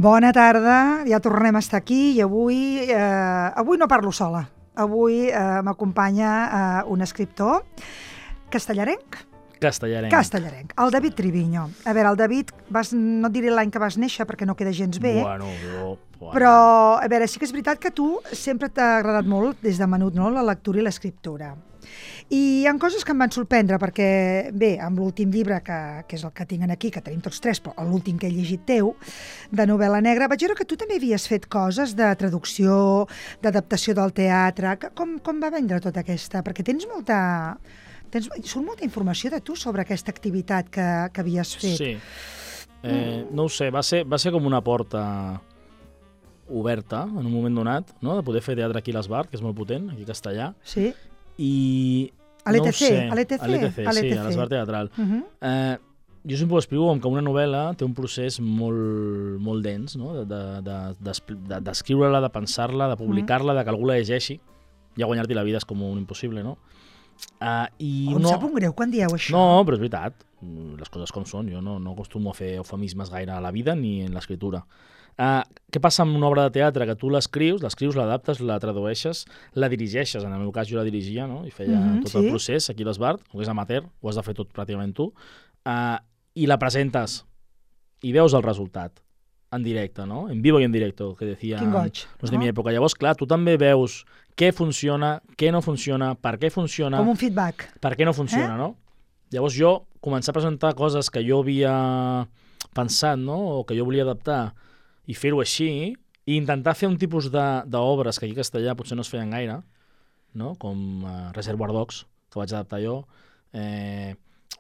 Bona tarda, ja tornem a estar aquí i avui no parlo sola. Avui m'acompanya un escriptor castellarenc, el David Triviño. A veure, el David, no et diré l'any que vas néixer perquè no queda gens bé, però a veure, sí que és veritat que tu sempre t'ha agradat molt, des de menut, no?, la lectura i l'escriptura. I hi ha coses que em van sorprendre perquè, bé, amb l'últim llibre, que és el que tinc aquí, que tenim tots tres, però l'últim que he llegit teu, de novel·la negra, vaig veure que tu també havies fet coses de traducció, d'adaptació del teatre. Com va vendre tota aquesta? Perquè surt molta informació de tu sobre aquesta activitat que havies fet. Sí. No ho sé, va ser com una porta oberta en un moment donat, no?, de poder fer teatre aquí a l'Esbart, que és molt potent, aquí a Castellà. Sí. I a l'ETC, sí, a l'Esbart Teatral. Jo sempre ho explico com que una novel·la té un procés molt, molt dens, no?, d'escriure-la, de pensar-la, de publicar-la, de que algú la llegeixi. Ja guanyar-t'hi la vida és com un impossible, no? Em sap un greu quan dieu això. No, però és veritat. Les coses com són. Jo no acostumo a fer eufemismes gaire a la vida ni en l'escriptura. Què passa amb una obra de teatre? Que tu l'escrius, l'adaptes, la tradueixes, la dirigeixes. En el meu cas jo la dirigia, no?, i feia tot el procés aquí a l'Esbart, o és amateur, ho has de fer tot pràcticament tu, i la presentes i veus el resultat en directe, no? En vivo i en directo, que decían los de mi època. Llavors, clar, tu també veus què funciona, què no funciona, per què funciona... Com un feedback. Per què no funciona, no? Llavors jo començar a presentar coses que jo havia pensat, no?, o que jo volia adaptar, i fer-ho així, i intentar fer un tipus d'obres que aquí a Castellà potser no es feien gaire, no?, com Reservoir Dogs, que vaig adaptar jo,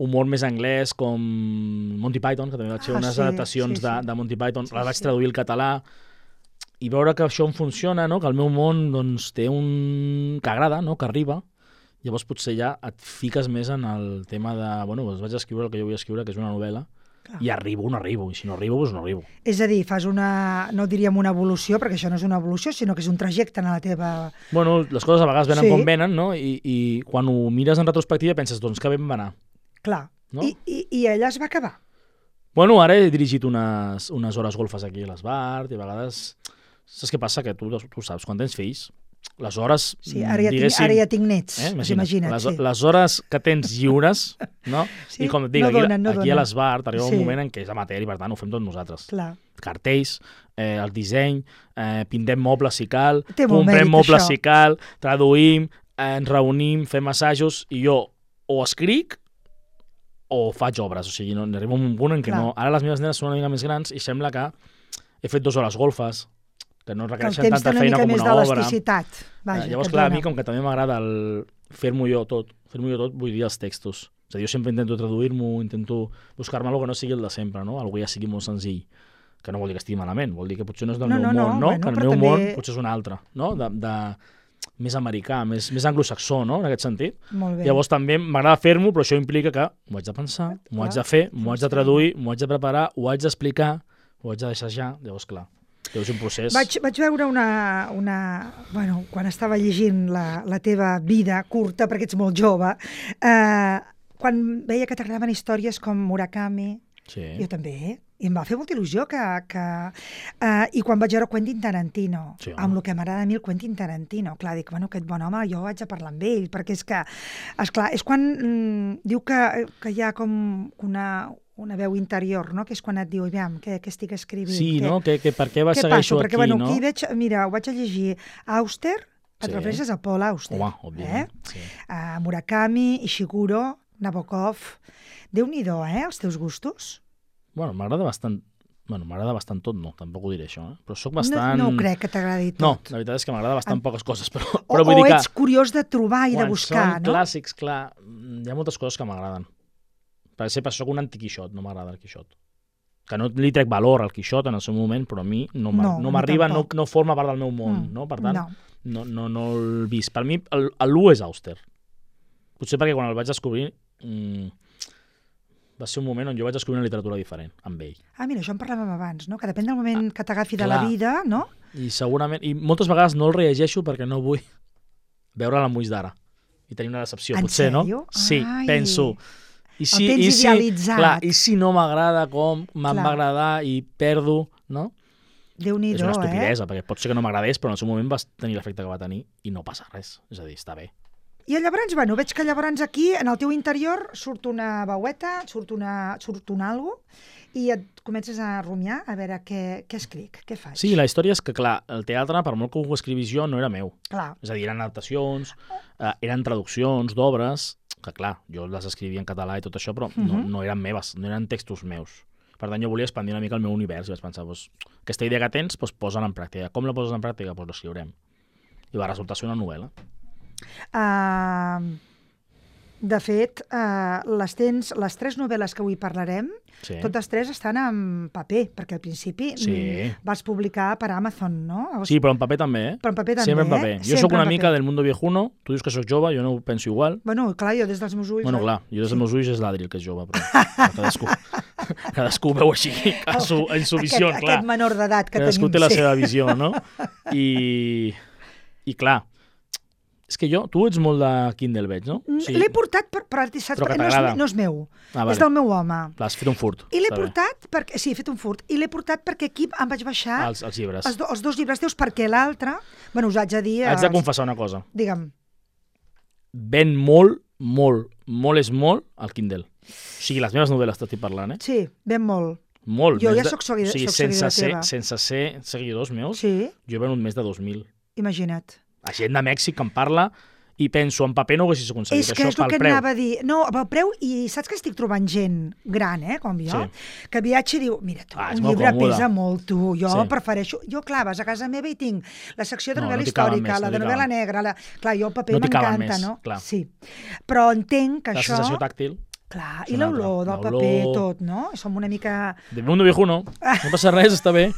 humor més anglès com Monty Python, que també vaig fer unes adaptacions de Monty Python, la vaig traduir al català, i veure que això em funciona, no?, que el meu món doncs, té que agrada, no?, que arriba. Llavors potser ja et fiques més en el tema de, bueno, doncs vaig escriure el que jo vull escriure, que és una novel·la, i arribo o no arribo, i si no arribo, doncs no arribo. És a dir, fas no diríem una evolució, perquè això no és una evolució, sinó que és un trajecte en la teva... Bueno, les coses a vegades venen com venen, no?, i quan ho mires en retrospectiva penses, doncs que bé em va anar. Clar, no? I ella es va acabar. Bueno, ara he dirigit unes hores golfes aquí a l'Esbart, i a vegades... Saps què passa? Que tu saps, quan tens fills, les hores, diguéssim... Ara ja tinc nets, imagina't. Les hores que tens lliures, no? I com et dic, aquí a l'Esbart arriba un moment en què és amateur i per tant ho fem tots nosaltres. Clar. Cartells, el disseny, pintem mobles si cal, comprem mobles si cal, traduïm, ens reunim, fem assajos, i jo o escric o faig obres. O sigui, arriba un punt en què no... Ara les meves nenes són una mica més grans i sembla que he fet 2 hores golfes, que no requereixen tanta feina com una obra. Llavors, clar, a mi com que també m'agrada fer-m'ho jo tot, vull dir els textos. És a dir, jo sempre intento traduir-m'ho, intento buscar-me alguna que no sigui el de sempre, no? Algú ja sigui molt senzill, que no vol dir que estigui malament, vol dir que potser no és del meu món, no? Que el meu món potser és un altre, no? Més americà, més anglosaxó, no?, en aquest sentit. Llavors també m'agrada fer-m'ho, però això implica que m'ho haig de pensar, m'ho haig de fer, m'ho haig de traduir, m'ho haig de preparar, ho haig d'explicar, ho haig de deixar. Llavors, clar, és un procés. Vaig veure bueno, quan estava llegint la teva vida curta, perquè ets molt jove, quan veia que t'agradaven històries com Murakami, jo també, i em va fer molta il·lusió i quan vaig veure Quentin Tarantino, amb el que m'agrada a mi el Quentin Tarantino, clar, dic, bueno, aquest bon home, jo vaig a parlar amb ell, perquè és que, esclar, és quan diu que hi ha com una veu interior, no?, que és quan et diu, aviam, què estic escrivint? Sí, no?, que per què segueixo aquí, perquè, no? Aquí veig, mira, ho vaig a llegir, Auster, et refereixes a Paul Auster. Home, òbviament. Murakami, Ishiguro, Nabokov, Déu-n'hi-do, els teus gustos? Bueno, m'agrada bastant tot, no, tampoc ho diré això, però soc bastant... No crec que t'agradi tot. No, la veritat és que m'agrada bastant poques coses, però vull dir que... O ets curiós de trobar i de buscar, no? Quan són clàssics, clar, hi ha moltes coses que m'agraden. Per exemple, soc un antiquixot, no m'agrada el Quixot. Que no li trec valor al Quixot en el seu moment, però a mi no m'arriba, no forma part del meu món, no? Per tant, no el visc. Per mi, l'1 és Auster. Potser perquè quan el vaig descobrir va ser un moment on jo vaig descobrir una literatura diferent amb ell. Mira, això en parlàvem abans, no? Que depèn del moment que t'agafi de la vida, no? I segurament, i moltes vegades no el rellegeixo perquè no vull veure'l amb ulls d'ara i tenir una decepció, potser, no? Sí, penso... El tens idealitzat. Clar, i si no m'agrada com me'n va agradar i perdo, no? Déu-n'hi-do, és una estupidesa, perquè pot ser que no m'agradés, però en el seu moment va tenir l'efecte que va tenir i no passa res. És a dir, està bé. I llavors, bueno, veig que llavors aquí, en el teu interior, surt una veueta, surt un algo, i et comences a rumiar a veure què escric, què faig. Sí, la història és que, clar, el teatre, per molt que ho escrivís jo, no era meu. Clar. És a dir, eren adaptacions, eren traduccions d'obres, que clar, jo les escrivia en català i tot això, però no eren meves, no eren textos meus. Per tant, jo volia expandir una mica el meu univers i vaig pensar, aquesta idea que tens, posa-la en pràctica. Com la poses en pràctica? L'escriurem. I va resultar ser una novel·la. De fet, les 3 novel·les que avui parlarem, totes 3 estan en paper, perquè al principi vas publicar per Amazon, no? Sí, però en paper també, Però en paper també, sempre en paper. Jo sóc una mica del mundo viejuno, tu dius que sóc jove, jo no ho penso igual. Bueno, clar, jo des dels meus ulls... Bueno, clar, jo des dels meus ulls és l'Adri el que és jove, però cadascú veu així, en su visió, clar. Aquest menor d'edat que tenim. Cadascú té la seva visió, no? I clar, és que tu ets molt de Kindle, veig, no? Sí. L'he portat, però no és meu. És del meu home. L'has fet un furt. I l'he portat perquè... Sí, he fet un furt. I l'he portat perquè aquí em vaig baixar... Els llibres. Els 2 llibres teus, perquè l'altre... Bueno, us haig de dir... Haig de confessar una cosa. Digue'm. Ven molt és molt al Kindle. O sigui, les meves novel·les t'estic parlant, Sí, ven molt. Molt. Jo ja soc seguidora teva. Sense ser seguidors meus, jo he venut més de 2.000. Imagina't. La gent de Mèxic que em parla i penso, en paper no ho haguessis aconseguit. És que és el que anava a dir. No, pel preu, i saps que estic trobant gent gran, com jo, que viatja i diu, mira tu, un llibre pesa molt, tu, jo prefereixo... Jo, clar, vas a casa meva i tinc la secció de novel·la històrica, la de novel·la negra, clar, jo el paper m'encanta, no? Sí. Però entenc que això... La sensació tàctil. Clar, i l'olor del paper, tot, no? Som una mica... De mundo viejuno, no passa res, està bé.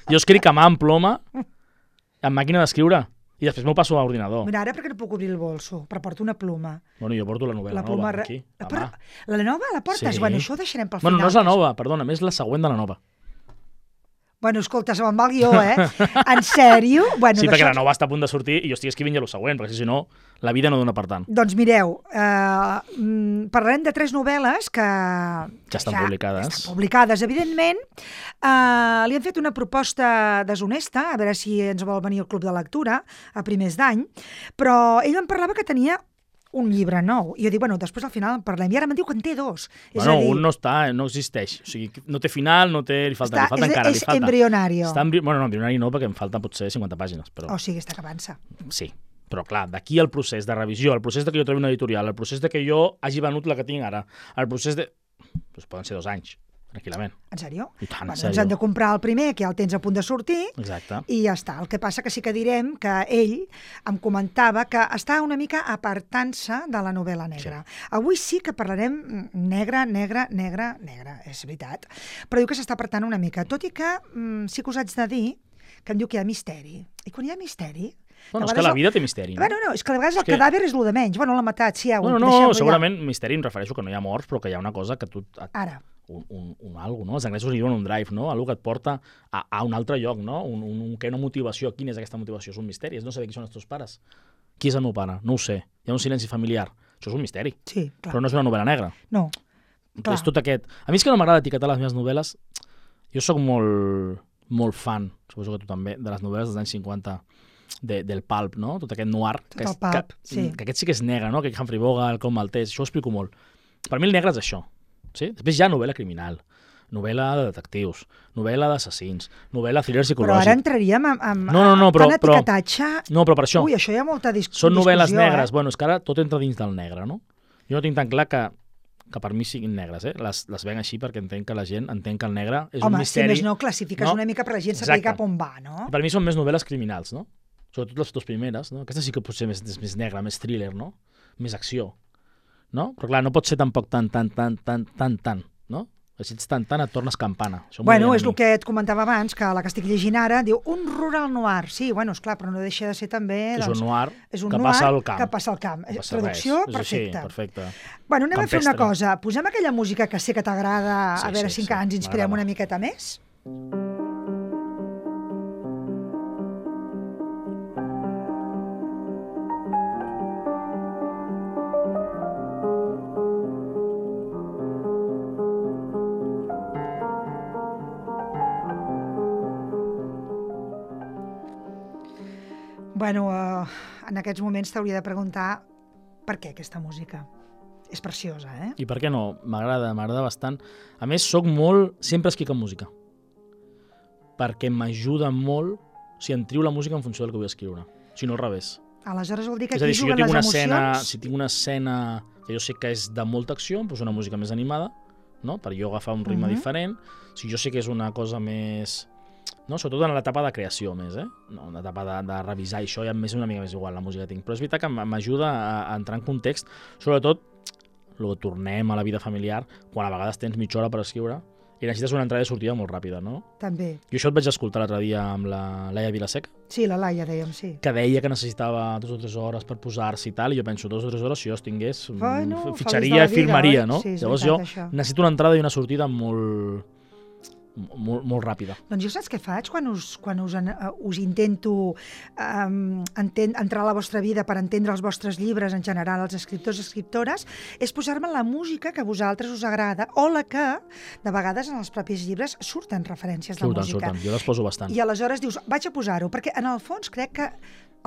Jo escric a mà, amb ploma, amb màquina d'escriure. I després m'ho passo a l'ordinador. Mira, ara perquè no puc obrir el bolso, però porto una ploma. Bueno, jo porto la novel·la nova, aquí, a mà. La nova la portes? Sí. Bueno, això ho deixarem pel final. Bueno, no és la nova, perdona, és la següent de la nova. Bueno, escolta, se me'n va el guió, En sèrio? Bueno, sí, perquè la nova està a punt de sortir i jo estic escrivint ja el següent, perquè si no, la vida no dona per tant. Doncs mireu, parlarem de 3 novel·les que estan publicades. Estan publicades, evidentment. Li han fet una proposta deshonesta, a veure si ens vol venir al Club de Lectura a primers d'any, però ell em parlava que tenia un llibre nou. I jo dic, bueno, després al final en parlem. I ara me'n diu que en té 2. Bueno, un no existeix. O sigui, no té final, li falta encara. És embrionari. Bueno, no, embrionari no, perquè em falten potser 50 pàgines. Però... O sigui, està acabant-se. Sí, però clar, d'aquí el procés de revisió, el procés de que jo trobi una editorial, el procés de que jo hagi venut la que tinc ara, el procés de... Doncs poden ser 2 anys, tranquil·lament. En sèrio? I tant, en sèrio. Ens hem de comprar el primer, que ja el tens a punt de sortir. Exacte. I ja està. El que passa que sí que direm que ell em comentava que està una mica apartant-se de la novel·la negra. Sí. Avui sí que parlarem negra, és veritat. Però diu que s'està apartant una mica. Tot i que sí que us haig de dir que em diu que hi ha misteri. I quan hi ha misteri... Bueno, és que la vida té misteri. Bueno, no, és que a vegades el cadàver és el de menys. Bueno, l'ha matat, sí, no, segurament misteri em refereixo que no hi ha morts, però que hi ha una cosa que tu... Ara. Un algo, no? Els anglesos diuen un drive, no? Algo que et porta a un altre lloc, no? Una motivació. Quina és aquesta motivació? És un misteri. És no saber qui són els teus pares. Qui és el meu pare? No ho sé. Hi ha un silenci familiar. Això és un misteri. Sí, clar. Però no és una novel·la negra. No, clar. És tot aquest... A mi és que no m'agrada etiquetar les meves novel·les. Jo sóc molt fan, suposo que tu també, de les novel·les dels anys 50 del pulp, no? Tot aquest noir. Tot el pulp, sí. Que aquest sí que és negre, no? Que Humphrey Bogart, el Com Maltès, això ho explico molt. Per mi el negre és això. Sí? Després hi ha novel·la criminal, novel·la de detectius, novel·la d'assassins, novel·la thriller psicològic. Però ara entraríem en etiquetatge... No, però per això... Ui, això hi ha molta discussió. Són novel·les negres. Bueno, és que ara tot entra dins del negre, no? Jo no tinc tan clar que per mi siguin negres, les venc així perquè entenc que la gent entén que el negre és un misteri... Home, si més no, classifiques una mica per la gent saber cap on va, no? Per mi són més novel·les criminals, no? Sobretot les 2 primeres, no? Aquesta sí que potser és més negra, més thriller, no? Més acció, no? Però clar, no pot ser tampoc tan, no? Si ets tan, et tornes campana. Bueno, és el que et comentava abans, que la que estic llegint ara diu un rural noir. Sí, bueno, esclar, però no deixa de ser també... És un noir que passa al camp. Que passa al camp. Traducció perfecta. Sí, perfecte. Bueno, anem a fer una cosa. Posem aquella música que sé que t'agrada, a veure si encara ens inspirem una miqueta més. Bueno, en aquests moments t'hauria de preguntar per què aquesta música. És preciosa, eh? I per què no? M'agrada bastant. A més, sempre escric en música. Perquè m'ajuda molt, si em trio la música en funció del que vull escriure. Si no, al revés. Aleshores vol dir que aquí juguen les emocions? Si tinc una escena que jo sé que és de molta acció, em poso una música més animada, no? Per jo agafar un ritme diferent. Si jo sé que és una cosa més... No? Sobretot en l'etapa de creació més, no, en l'etapa de revisar això ja m'és una mica més igual la música que tinc. Però és veritat que m'ajuda a entrar en context, sobretot tornem a la vida familiar, quan a vegades tens mitja hora per escriure i necessites una entrada i sortida molt ràpida, no? També. Jo això et vaig escoltar l'altre dia amb la Laia Vilaseca. Sí, la Laia dèiem, sí. Que deia que necessitava 2 o 3 hores per posar-se i tal, i jo penso, 2 o 3 hores, si jo els tingués, fitxaria i firmaria, no? Sí, llavors jo necessito una entrada i una sortida molt ràpida. Doncs jo saps què faig quan us intento entrar a la vostra vida per entendre els vostres llibres, en general, els escriptors i escriptores, és posar-me la música que a vosaltres us agrada o la que, de vegades, en els propis llibres surten referències de música. Surten, jo les poso bastant. I aleshores dius, vaig a posar-ho, perquè en el fons crec que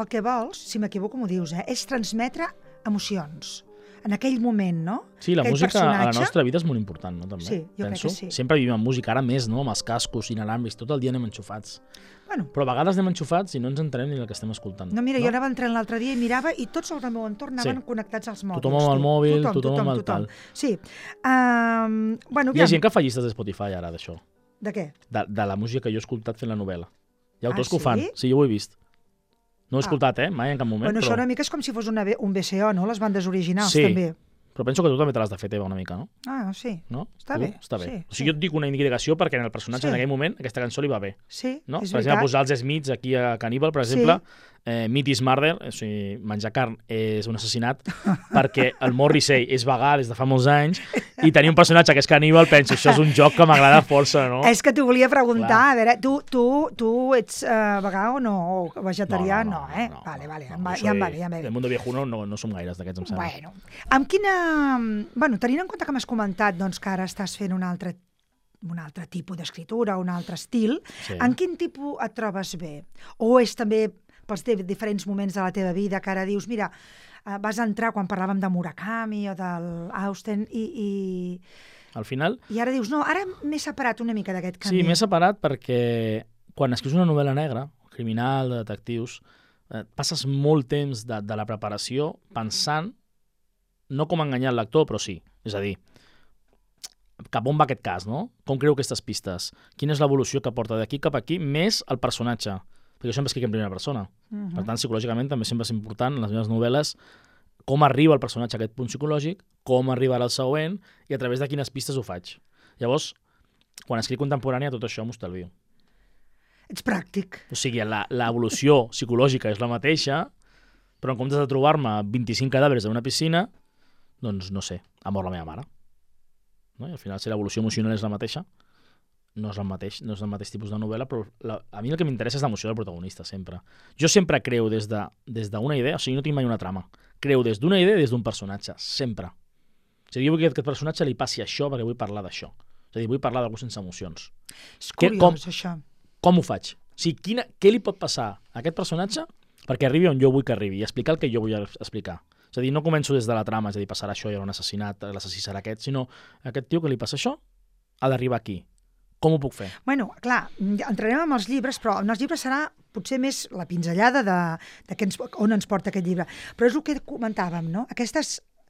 el que vols, si m'equivoco m'ho dius, és transmetre emocions. En aquell moment, no? Sí, la música a la nostra vida és molt important, no? També. Sí, jo crec que sí. Sempre vivim amb música, ara més, no? Amb els cascos inalàmbrics, tot el dia anem enxufats. Bueno. Però a vegades anem enxufats i no ens entenem ni el que estem escoltant. No, mira, jo anava entrant l'altre dia i mirava i tots els del meu entorn anaven connectats als mòbils. Tothom amb el mòbil, tothom amb el tal. Sí. Hi ha gent que fa llistes de Spotify ara, d'això. De què? De la música que jo he escoltat fent la novel·la. Hi ha autors que ho fan. Sí, jo ho he vist. No ho he escoltat, mai en cap moment. Bueno, això una mica és com si fos un BCO, no? Les bandes originals, també. Però penso que tu també te l'has de fer teva una mica, no? Ah, sí. No? Està bé. Està bé. Sí, o sigui, jo et dic una indicació perquè en el personatge en aquell moment aquesta cançó li va bé. Sí, no? és per exemple, posar els Smiths aquí a Cannibal, per exemple, Meat is Murder, o sigui, menjar carn és un assassinat, perquè el Morrissey és vegà des de fa molts anys i tenir un personatge que és caníbal, penso, això és un joc que m'agrada força, no? És que t'ho volia preguntar, a veure, tu ets vegà o no? O vegetarià? No, eh? Vale, ja em va bé. El Mundo Viejuno no som gaires d'aquests, em sembla. Bueno, amb quina... Bueno, tenint en compte que m'has comentat doncs, que ara estàs fent un altre tipus d'escriptura, un altre estil, en quin tipus et trobes bé? O és també pels diferents moments de la teva vida que ara dius, mira, vas entrar quan parlàvem de Murakami o del Austen i... Al final... I ara dius, no, ara m'he separat una mica d'aquest camí. Sí, m'he separat perquè quan escrius una novel·la negra, criminal, de detectius, passes molt temps de la preparació pensant, no com enganyar el lector, però sí. És a dir, cap on va aquest cas, no? Com creu aquestes pistes? Quina és l'evolució que porta d'aquí cap aquí, més el personatge? Perquè jo sempre escric en primera persona. Per tant, psicològicament també sempre és important en les meves novel·les com arriba el personatge a aquest punt psicològic, com arribarà al següent i a través de quines pistes ho faig. Llavors, quan escric contemporània, tot això m'ho estalvio. Ets pràctic. O sigui, l'evolució psicològica és la mateixa, però en comptes de trobar-me 25 cadàvers en una piscina, doncs, no sé, ha mort la meva mare. No? I al final, si l'evolució emocional és la mateixa, no és el mateix tipus de novel·la, però a mi el que m'interessa és l'emoció del protagonista, sempre. Jo sempre creu des d'una idea, o sigui, no tinc mai una trama. Creu des d'una idea i des d'un personatge, sempre. És a dir, jo vull que aquest personatge li passi això perquè vull parlar d'això. És a dir, vull parlar d'algú sense emocions. És curiós, això. Com ho faig? O sigui, què li pot passar a aquest personatge perquè arribi on jo vull que arribi i explicar el que jo vull explicar. És a dir, no començo des de la trama, és a dir, passarà això, hi haurà un assassinat, l'assassí serà aquest, sinó aquest tio que li passa això ha d'arribar aquí. Com ho puc fer? Bueno, clar, entrarem amb els llibres, però en els llibres serà potser més la pinzellada on ens porta aquest llibre. Però és el que comentàvem, no?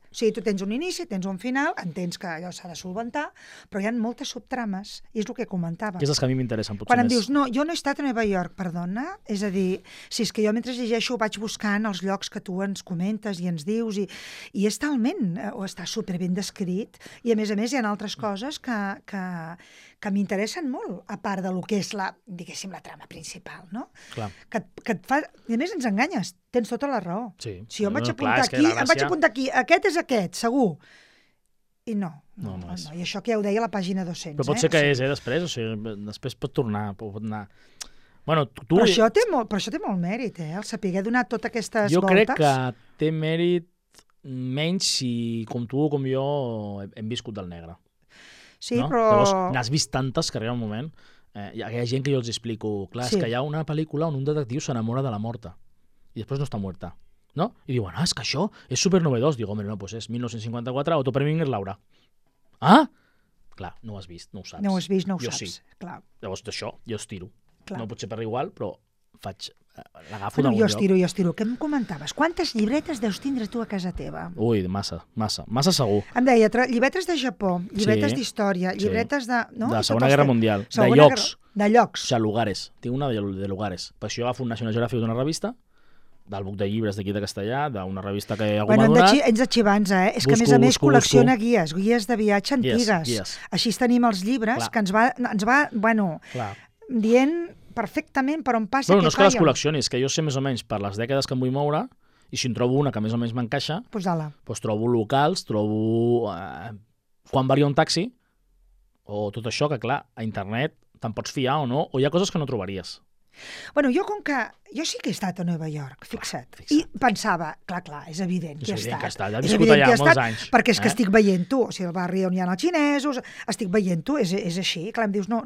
O sigui, tu tens un inici, tens un final, entens que allò s'ha de solventar, però hi ha moltes subtrames, i és el que comentàvem. Que és els que a mi m'interessen, potser quan em més. dius, no, jo no he estat a Nova York, perdona, és a dir, si és que jo mentre llegeixo vaig buscant els llocs que tu ens comentes i ens dius, i és talment, o està superben descrit, i a més hi ha altres coses que m'interessen molt, a part de lo que és diguéssim, la trama principal, no? Clar. Que et fa... I a més ens enganyes, tens tota la raó. Sí. Si jo em vaig apuntar aquí, aquest és aquest, segur. I no. I això que ja ho deia a la pàgina 200. Però pot ser que és, després, o sigui, després pot tornar, pot anar... Bueno, Però això té molt mèrit, el saber donar totes aquestes voltes. Jo crec que té mèrit menys si, com tu o com jo, hem viscut del negre. Sí, no? però... Llavors, n'has vist tantes que arriba un moment... hi ha gent que jo els explico, clar, és que hi ha una pel·lícula on un detectiu s'enamora de la morta. i després no està muerta. ¿No? I diuen, és que això és supernovedós. Dic, home, no, doncs és 1954, Otto Preminger Laura. Ah! Clar, no ho has vist, no ho saps. No ho has vist, no ho jo saps. Sí. Clar. Llavors d'això jo estiro. Clar. No pot ser per igual, però l'agafo d'algun lloc. Jo estiro. Què em comentaves? Quantes llibretes deus tindre tu a casa teva? Ui, massa segur. Em deia, llibretes de Japó, llibretes d'història, llibretes de... No? De la Segona Guerra Mundial, de llocs. De llocs. O sigui, lugares. Tinc una de lugares. Per això agafo un National Geographic d'una revista, del buc de llibres d'aquí de Castellà, d'una revista que algú m'ha donat. Ets xivans, eh? És que a més col·lecciona guies de viatge antigues. Guies. Així tenim els llibres que ens va dient perfectament per on passa no és que les col·leccionis, que jo sé més o menys per les dècades que em vull moure, i si en trobo una que més o menys m'encaixa, doncs trobo locals, trobo quan varia un taxi, o tot això, que clar, a internet te'n pots fiar o no, o hi ha coses que no trobaries. Bueno, jo sí que he estat a Nova York, fixa't. I pensava, clar, és evident que he estat. Ja he viscut allà molts anys. Perquè és que estic veient-ho, o sigui, el barri on hi ha els xinesos, estic veient-ho, és així. Clar, em dius, no,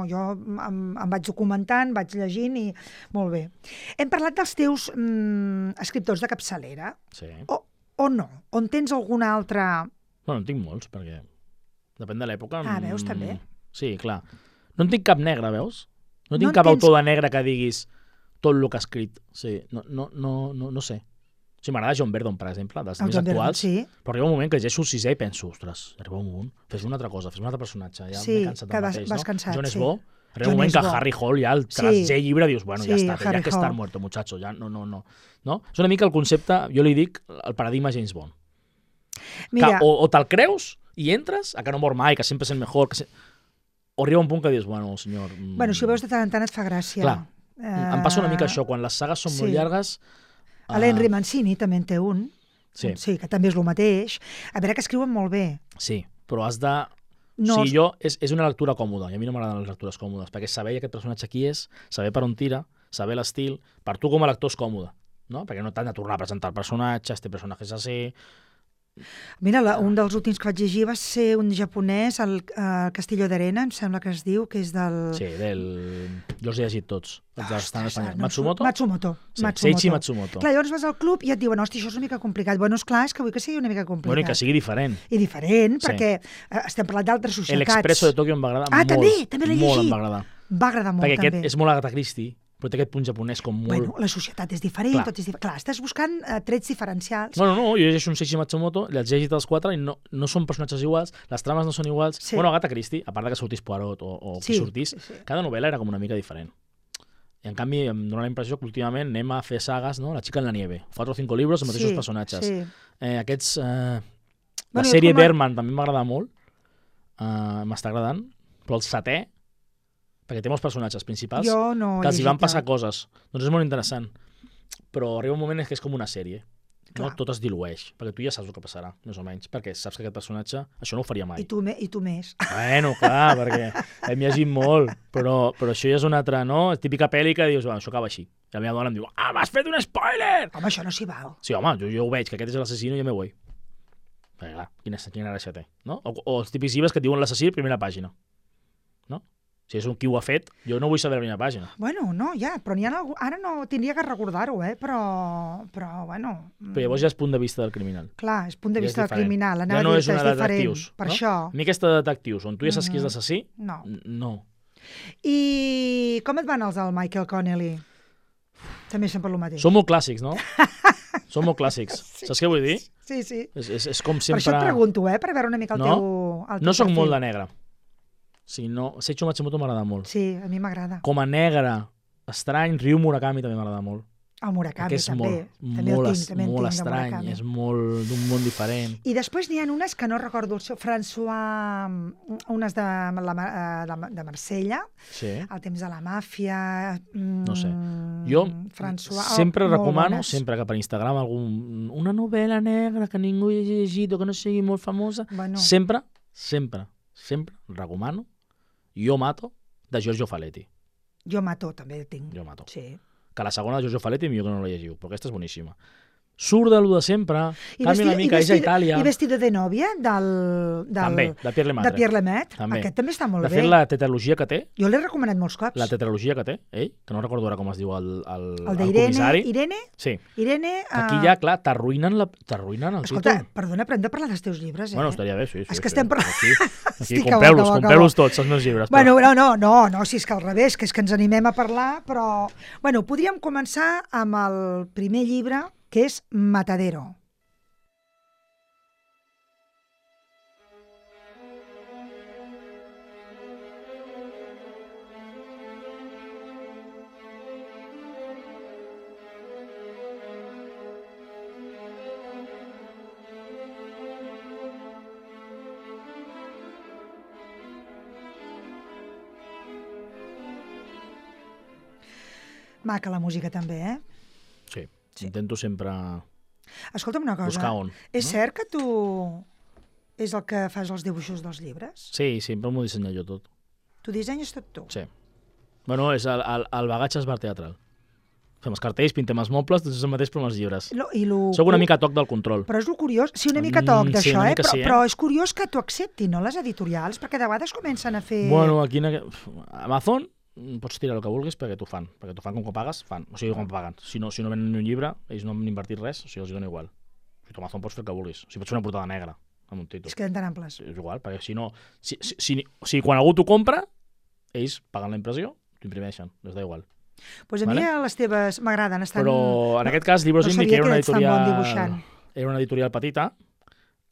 jo em vaig documentant, vaig llegint i molt bé. Hem parlat dels teus escriptors de capçalera. Sí. O no? On tens algun altre... Bueno, en tinc molts, perquè depèn de l'època. Ah, veus, també? Sí, clar. No en tinc cap negre, veus? No tinc cap autor de negre que diguis tot el que ha escrit. Sí, no sé. O sigui, m'agrada John Verdon, per exemple, dels més actuals, però arriba un moment que llegeixo el 6è i penso, ostres, arriba un moment, fes una altra cosa, fes un altre personatge, ja m'he cansat del mateix, no? Cansat, John és bo, arriba un moment que Harry Hall ja el tercer llibre dius, bueno, ja està, ja que estar muerto, muchacho, ja no. És una mica el concepte, jo li dic, el paradigma James Bond. Mira. O te'l creus i entres, a que no mor mai, que sempre és el mejor, o arriba un punt que dius, bueno, senyor... Bueno, si ho veus de tant en tant et fa gràcia. Clar, em passa una mica això, quan les sagues són molt llargues... L'Henry Mancini també en té un, sí, que també és el mateix. A veure que escriuen molt bé. Sí, però has de... És una lectura còmoda, i a mi no m'agraden les lectures còmodes, perquè saber aquest personatge qui és, saber per on tira, saber l'estil, per tu com a lector és còmode, no? Perquè no t'han de tornar a presentar el personatge, este personatge és així... Mira, un dels últims que vaig llegir va ser un japonès, el Castillo d'Arena, em sembla que es diu, que és del... Sí, jo els he llegit tots. Matsumoto? Matsumoto. Seiichi Matsumoto. Clar, llavors vas al club i et diuen, hosti, això és una mica complicat. Bueno, esclar, és que vull que sigui una mica complicat. Bueno, i que sigui diferent. I diferent, perquè estem parlant d'altres societats. L'Expresso de Tòquio em va agradar molt. També l'he llegit. Molt em va agradar. Va agradar molt, també. Perquè aquest és molt Agatha Christie, però té aquest punt japonès com molt... Bueno, la societat és diferent, tot és diferent. Clar, estàs buscant trets diferencials. No, jo llegeixo un Seiichi Matsumoto, els he llegit els 4 i no són personatges iguals, les trames no són iguals. Sí. Bueno, Agatha Christie, a part que sortís Poirot o qui sortís, cada novel·la era com una mica diferent. I en canvi em dóna la impressió que últimament anem a fer sagues, no? La chica en la nieve, 4 o 5 llibres, els mateixos personatges. Aquests... La sèrie Berman també m'agrada molt, m'està agradant, però el 7è, perquè té molts personatges principals que els hi van passar coses. Doncs és molt interessant. Però arriba un moment que és com una sèrie. No? Tot es dilueix, perquè tu ja saps el que passarà, més o menys, perquè saps que aquest personatge això no ho faria mai. I tu més. Bueno, clar, perquè hem llegit molt, però això ja és una altra, no? Típica pel·li que dius, això acaba així. I la meva dona em diu, m'has fet un spoiler! Home, això no s'hi val. Sí, home, jo ho veig, que aquest és l'assassino i ja me vull. Perquè clar, quina gràcia té, no? O els típics llibres que et diuen l'assassí a primera pàgina. Si és un qui ho ha fet, jo no vull saber la primera pàgina. Bueno, no, ja, però n'hi ha algú... Ara no tindria que recordar-ho, però bueno... Però llavors ja és punt de vista del criminal. Clar, és punt de vista del criminal. Ja no és una de detectius. Per això... A mi aquesta de detectius, on tu ja saps qui és l'assassí, no. I com et van els del Michael Connelly? També sempre el mateix. Són molt clàssics, no? Són molt clàssics. Saps què vull dir? Sí. És com sempre... Per això et pregunto, per veure una mica el teu... No soc molt de negre. Si no, Seiichi Matsumoto m'agrada molt. Sí, a mi m'agrada. Com a negre, estrany, Ryu Murakami també m'agrada molt. El Murakami també. Molt estrany, és molt d'un món diferent. I després n'hi ha unes que no recordo el seu, François, unes de Marsella, El temps de la màfia... No sé. Jo sempre recomano, sempre que per Instagram una novel·la negra que ningú hagi llegit o que no sigui molt famosa, sempre recomano Jo Mato, de Giorgio Faletti. Jo Mato, també tinc. Jo Mato. Sí. Que la segona de Giorgio Faletti millor que no la llegiu, però aquesta és boníssima. surt de lo de sempre, canvia una mica, és a Itàlia. I Vestido de novia, també, de Pierre Lemaitre. De Pierre Lemaitre. Aquest també està molt bé. De fet, la tetralogia que té... Jo l'he recomanat molts cops. La tetralogia que té, ell, que no recordo ara com es diu el comissari. Irene? Sí. Irene... Aquí ja, clar, t'arruïnen el títol. Escolta, perdona, però hem de parlar dels teus llibres, Bueno, estaria bé, sí. És que estem parlant... Aquí, compreu-los tots, els meus llibres. Bueno, no, si és que al revés, que és que ens animem a parlar, però... Bueno, podríem començar amb el primer llibre, que és Matadero. Maca la música també, Sí. Intento sempre... Escolta'm una cosa. Buscar on. És cert que tu és el que fas els dibuixos dels llibres? Sí, sempre m'ho dissenyo jo tot. Tu dissenyes tot tu? Sí. Bueno, és el bagatge és bar teatral. Fem els cartells, pintem els mobles, tot és el mateix però amb els llibres. Soc una mica toc del control. Però és el curiós, sí, una mica toc d'això, però és curiós que t'ho acceptin, no, les editorials? Perquè de vegades comencen a fer... Bueno, aquí Amazon pots tirar el que vulguis perquè t'ho fan com que pagues, fan. O sigui, com paguen. Si no venen ni un llibre, ells no han invertit res, o sigui, els dona igual. O sigui, tu Amazon pots fer el que vulguis. O sigui, pots fer una portada negra amb un títol. Es queden tan amples. És igual, perquè si no... Si quan algú t'ho compra, ells paguen la impressió, t'ho imprimeixen, les da igual. Pues a mi les teves m'agraden. Però en aquest cas, Libros Indie, que era una editorial petita,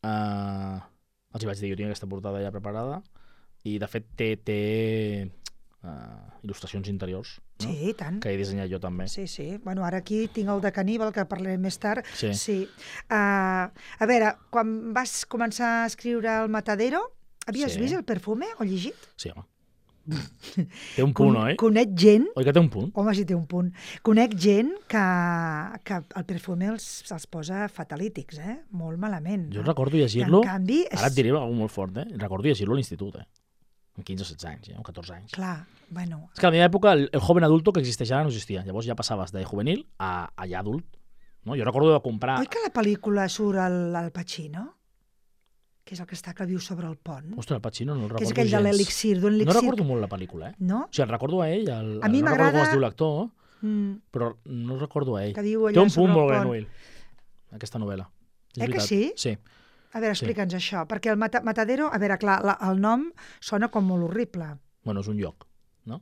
els hi vaig dir, jo tinc aquesta portada ja preparada, i de fet té il·lustracions interiors, no? Sí, i tant. Que he dissenyat jo també. Sí. Bueno, ara aquí tinc el de Caníbal, que parlarem més tard. Sí. A veure, quan vas començar a escriure el Matadero, havies vist el Perfume o llegit? Sí, home. Té un punt, oi? Conec gent... Oi que té un punt? Home, sí, té un punt. Conec gent que el Perfume els posa fatalítics, molt malament. Jo recordo llegir-lo... En canvi... Ara et diré alguna molt fort, Recordo llegir-lo a l'institut, amb 15 o 16 anys, o 14 anys. Clar, bueno... És que a la meva època el joven adulto que existeix ara no existia. Llavors ja passaves de juvenil a ja adult. No? Jo recordo de comprar... Oi que a la pel·lícula surt el Pacino? Que és el que està que viu sobre el pont. Ostres, el Pacino no el recordo gens. Que és aquell de l'elixir, d'un elixir... No recordo molt la pel·lícula, No? O sigui, el recordo a ell, a mi no recordo com es diu l'actor, però no el recordo a ell. Que viu allà té un punt sobre molt el Grenouille, aquesta novel·la. Que sí? Sí. A veure, explica'ns això, perquè el Matadero, a veure, clar, el nom sona com molt horrible. Bueno, és un lloc, no?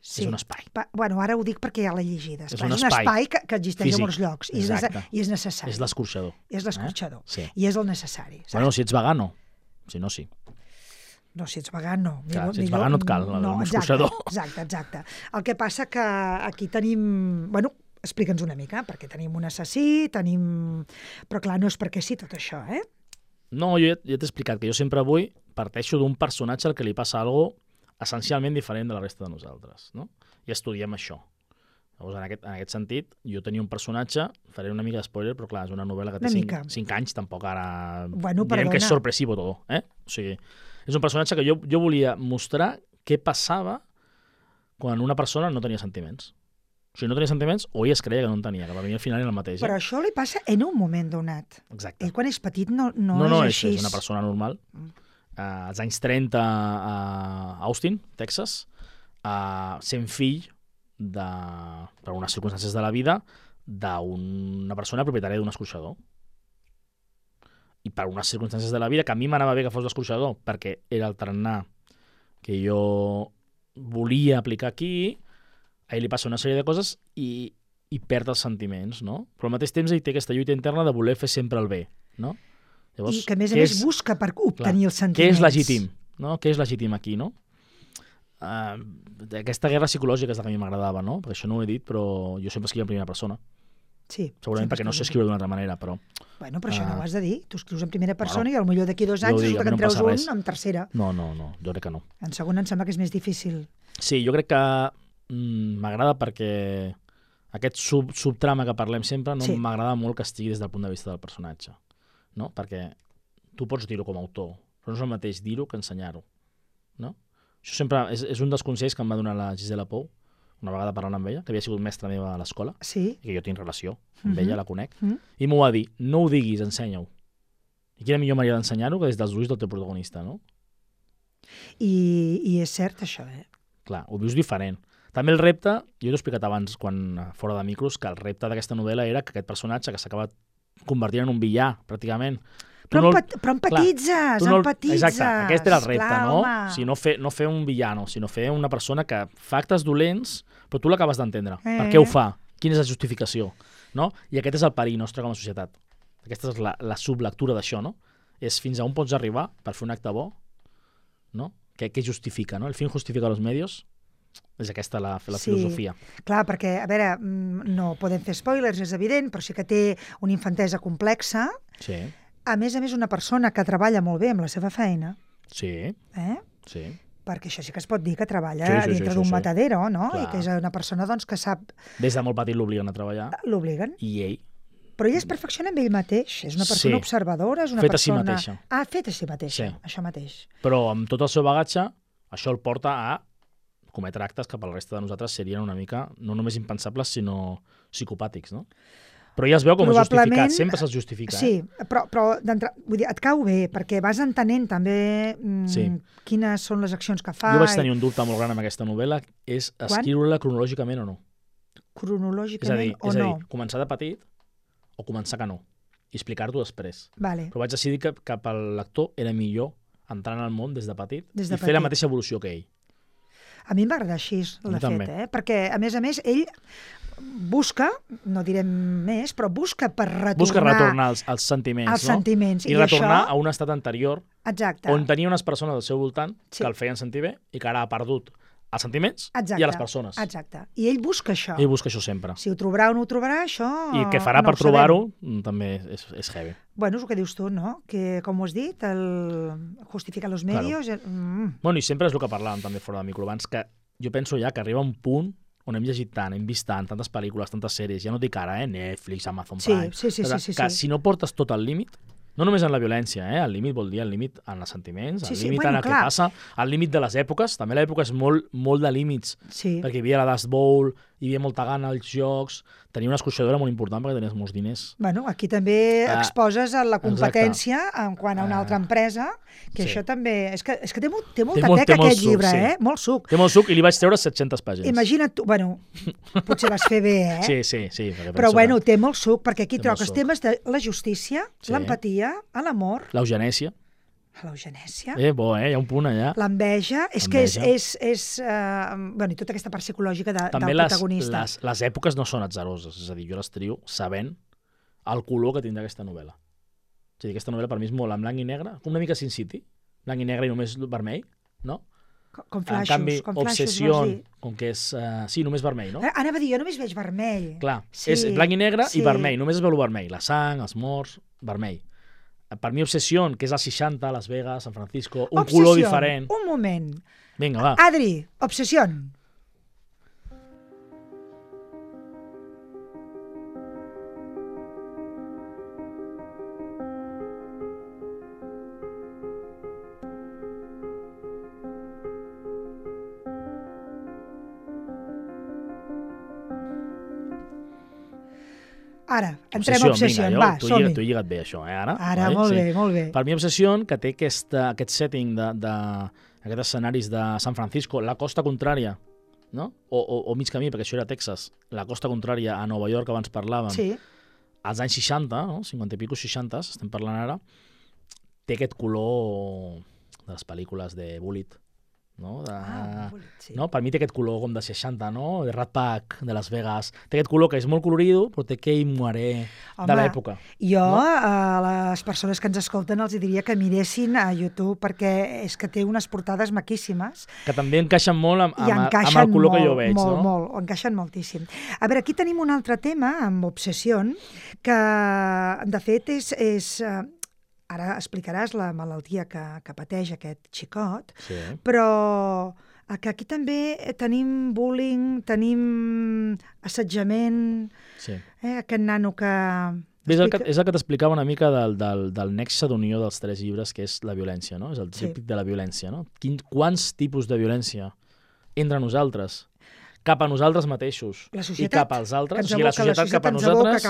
Sí. És un espai. Bueno, ara ho dic perquè ja l'he llegida. És un espai que existeix a molts llocs i és necessari. És l'escorxador. És l'escorxador. Sí. I és el necessari. Saps? Bueno, si ets vegano. Si no, sí. No, si ets vegano. Clar, si ets vegano et cal l'escorxador. Exacte. El que passa que aquí tenim... Bueno, explica'ns una mica, perquè tenim un assassí, però clar, no és perquè sí tot això, No, jo ja t'he explicat que jo sempre avui parteixo d'un personatge al que li passa alguna cosa essencialment diferent de la resta de nosaltres, no? I estudiem això. Llavors, en aquest sentit, jo tenia un personatge, faré una mica d'espoiler, però clar, és una novel·la que té 5 anys, tampoc ara... Bueno, direm que és sorpresivo tot, O sigui, és un personatge que jo volia mostrar què passava quan una persona no tenia sentiments. O sigui, no tenia sentiments o ell es creia que no en tenia, que per mi al final era el mateix. Però això li passa en un moment donat. Exacte. Ell quan és petit no és així. És una persona normal. Als anys 30 a Austin, Texas, sent fill, per unes circumstàncies de la vida, d'una persona propietària d'un escorxador. I per unes circumstàncies de la vida que a mi m'anava bé que fos l'escorxador, perquè era el tarannà que jo volia aplicar aquí, a ell li passa una sèrie de coses i perd els sentiments, no? Però al mateix temps ell té aquesta lluita interna de voler fer sempre el bé, no? Llavors, i que a més busca per obtenir els sentiments. Què és legítim, no? Què és legítim aquí, no? Aquesta guerra psicològica és la que a mi m'agradava, no? Perquè això no ho he dit, però jo sempre escriu en primera persona. Sí. Segurament perquè no sé escriure d'una altra manera, però... Bueno, però això no ho has de dir. Tu escrius en primera persona i potser d'aquí 2 anys resulta que en treus un en tercera. No, jo crec que no. En segona em sembla que és més difícil. Sí, jo crec que m'agrada perquè aquest subtrama que parlem sempre m'agrada molt que estigui des del punt de vista del personatge, no? Perquè tu pots dir-ho com a autor, però no és el mateix dir-ho que ensenyar-ho, no? Això sempre és un dels consells que em va donar la Gisela Pou una vegada parlant amb ella, que havia sigut mestra meva a l'escola, sí. i que jo tinc relació amb ella, la conec, i m'ho va dir, no ho diguis, ensenya-ho. I quina millor manera d'ensenyar-ho que des dels ulls del teu protagonista, no? I és cert això, Clar, ho vius diferent. També el repte, jo t'ho he explicat abans, fora de micros, que el repte d'aquesta novel·la era que aquest personatge que s'acaba convertint en un villà, pràcticament. Però empatitzes, empatitzes. Exacte, aquest era el repte, no? O sigui, no fer un villano, sinó fer una persona que fa actes dolents, però tu l'acabes d'entendre. Per què ho fa? Quina és la justificació? No? I aquest és el perill nostre com a societat. Aquesta és la sublectura d'això, no? És fins a on pots arribar per fer un acte bo, no? Què justifica, no? El fin justifica los medios. És aquesta la filosofia. Clar, perquè, a veure, no podem fer spoilers, és evident, però sí que té una infantesa complexa. Sí. A més, una persona que treballa molt bé amb la seva feina. Sí. Sí. Perquè això sí que es pot dir que treballa dintre d'un matadero, no? Clar. I que és una persona doncs, que sap... Des de molt petit l'obliguen a treballar. L'obliguen. I ell. Però ell es perfecciona amb ell mateix. És una persona observadora, és una fet persona... a si mateixa. Fet a si mateixa, això mateix. Però amb tot el seu bagatge, això el porta a cometre actes que per la resta de nosaltres serien una mica, no només impensables, sinó psicopàtics, no? Però ja es veu com és justificat, sempre se'ls justifica. Sí, però vull dir, et cau bé, perquè vas entenent també quines són les accions que fa. Jo vaig tenir un dubte molt gran amb aquesta novel·la, és escriure-la cronològicament o no. Cronològicament o no? És a dir, començar de petit o començar que no, i explicar-t'ho després. Vale. Però vaig decidir que pel lector era millor entrar en el món des de petit i fer la mateixa evolució que ell. A mi em va agradar així, de fet, perquè, a més, ell busca, no direm més, però busca retornar als sentiments, als sentiments. I retornar a un estat anterior exacte, on tenia unes persones al seu voltant que el feien sentir bé i que ara ha perdut als sentiments i a les persones. Exacte. I ell busca això. Ell busca això sempre. Si ho trobarà o no ho trobarà, això I què farà per trobar-ho també és heavy. Bueno, és el que dius tu, no? Que, com ho has dit, el justifica los medios... Claro. Bueno, i sempre és el que parlàvem també fora de micro abans, que jo penso ja que arriba un punt on hem llegit tant, hem vist tant, tantes pel·lícules, tantes sèries, ja no dic ara, Netflix, Amazon Prime... Sí. Que si no portes tot al límit, no només en la violència, el límit vol dir el límit en els sentiments, el límit en el que passa, el límit de les èpoques, també l'època és molt de límits, perquè hi havia la Dust Bowl, hi havia molta gana als jocs, tenia una escorxadora molt important perquè tenies molts diners. Bueno, aquí també exposes la competència en quant a una altra empresa, que això també... És que té molta teca aquest llibre, molt suc. Té molt suc i li vaig treure 700 pàgines. Imagina't tu, bueno, potser vas fer bé, Sí. Però bueno, té molt suc, perquè aquí troques temes de la justícia, l'empatia, l'amor... L'eugenèsia. L'eugenèsia. Hi ha un punt allà. L'enveja, és que és bueno, i tota aquesta part psicològica del protagonista. També les èpoques no són atzaroses, és a dir, jo les trio sabent el color que tindrà aquesta novel·la. És a dir, aquesta novel·la per mi és molt en blanc i negre, una mica Sin City, blanc i negre i només vermell, no? Com flaixos, en canvi, Obsession, com que és... sí, només vermell, no? Anava a dir, jo només veig vermell. Clar, és blanc i negre i vermell, només es veu el vermell, la sang, els morts, vermell. Per mi, Obsession, que és als 60, Las Vegas, San Francisco, un color diferent. Un moment. Vinga, va. Adri, Obsession. Ara, entrem a Obsession, va, som-hi. T'ho he lligat bé, això, Ara, molt bé. Per mi, Obsession, que té aquest setting d'aquests escenaris de San Francisco, la costa contrària, no? O mig camí, perquè això era Texas, la costa contrària a Nova York, abans parlàvem, als anys 60, no? 50 i pico, 60, estem parlant ara, té aquest color de les pel·lícules de Bullitt, no? No? Per mi té aquest color com de 60, no? De Rat Pack, de Las Vegas. Té aquest color que és molt colorido, però té aquell moaré de l'època. Jo a les persones que ens escolten els diria que miressin a YouTube, perquè és que té unes portades maquíssimes. Que també encaixen molt amb el color que jo veig, no? Molt, encaixen moltíssim. A veure, aquí tenim un altre tema, amb Obsession, que de fet és ara explicaràs la malaltia que pateix aquest xicot, però que aquí també tenim bullying, tenim assetjament, aquest nano que... És el que t'explicava una mica del nexe d'unió dels 3 llibres, que és la violència, no? És el típic de la violència, no? Quants tipus de violència entre nosaltres? cap a nosaltres mateixos i cap als altres, o sigui, la societat cap a nosaltres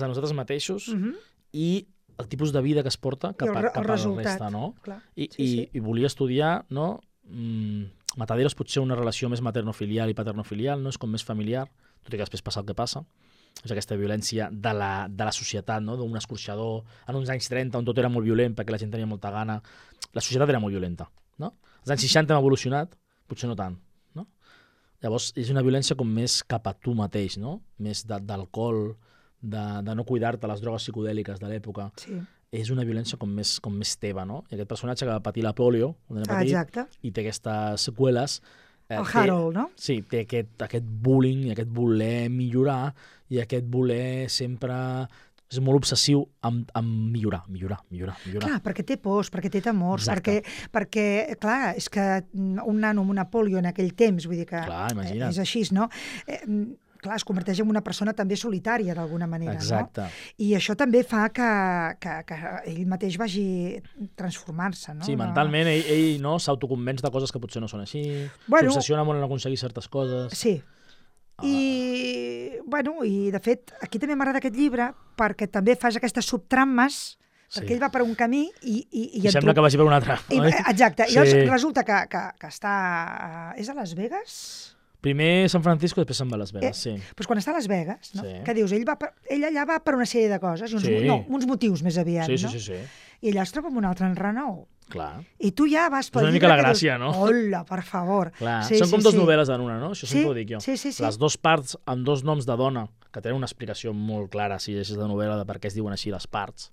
a nosaltres mateixos i el tipus de vida que es porta cap a la resta, no? I volia estudiar, no? Mataderos potser una relació més maternofilial i paternofilial, no? És com més familiar, tot i que després passa el que passa. És aquesta violència de la societat, no? D'un escorxador en uns anys 30 on tot era molt violent perquè la gent tenia molta gana. La societat era molt violenta, no? Els anys 60 hem evolucionat, potser no tant, no? Llavors és una violència com més cap a tu mateix, no? Més d'alcohol, de no cuidar-te, les drogues psicodèliques de l'època. Sí. És una violència com més teva, no? I aquest personatge que va patir la polio, quan era petit, i té aquestes seqüeles. El Harold, no? Sí, té aquest bullying, aquest voler millorar i aquest voler sempre... És molt obsessiu amb millorar. Clar, perquè té pors, perquè té temors, perquè, clar, és que un nano amb una polio en aquell temps, vull dir que és així, no? Clar, es converteix en una persona també solitària, d'alguna manera, exacte. No? I això també fa que ell mateix vagi transformar-se, no? Sí, mentalment ell no, s'autoconvenç de coses que potser no són així, s'obsessiona molt en aconseguir certes coses. Sí. I de fet, aquí també m'agrada aquest llibre perquè també fas aquestes subtrames, perquè ell va per un camí i sembla que vagi per un altre. Exacte. I llavors resulta que està... És a Las Vegas? Primer San Francisco, després se'n va a Las Vegas, sí. Doncs quan està a Las Vegas, no? Que dius, ell allà va per una sèrie de coses, uns motius més aviat, no? Sí. I allà es troba amb un altre enrenou. Clar. I tu ja vas pel llibre... És una mica la gràcia, no? Hola, per favor. Clar. Són com dues novel·les en una, no? Això sempre ho dic jo. Sí. Les dues parts amb dos noms de dona, que tenen una explicació molt clara, si llegeixes la novel·la, de per què es diuen així les parts.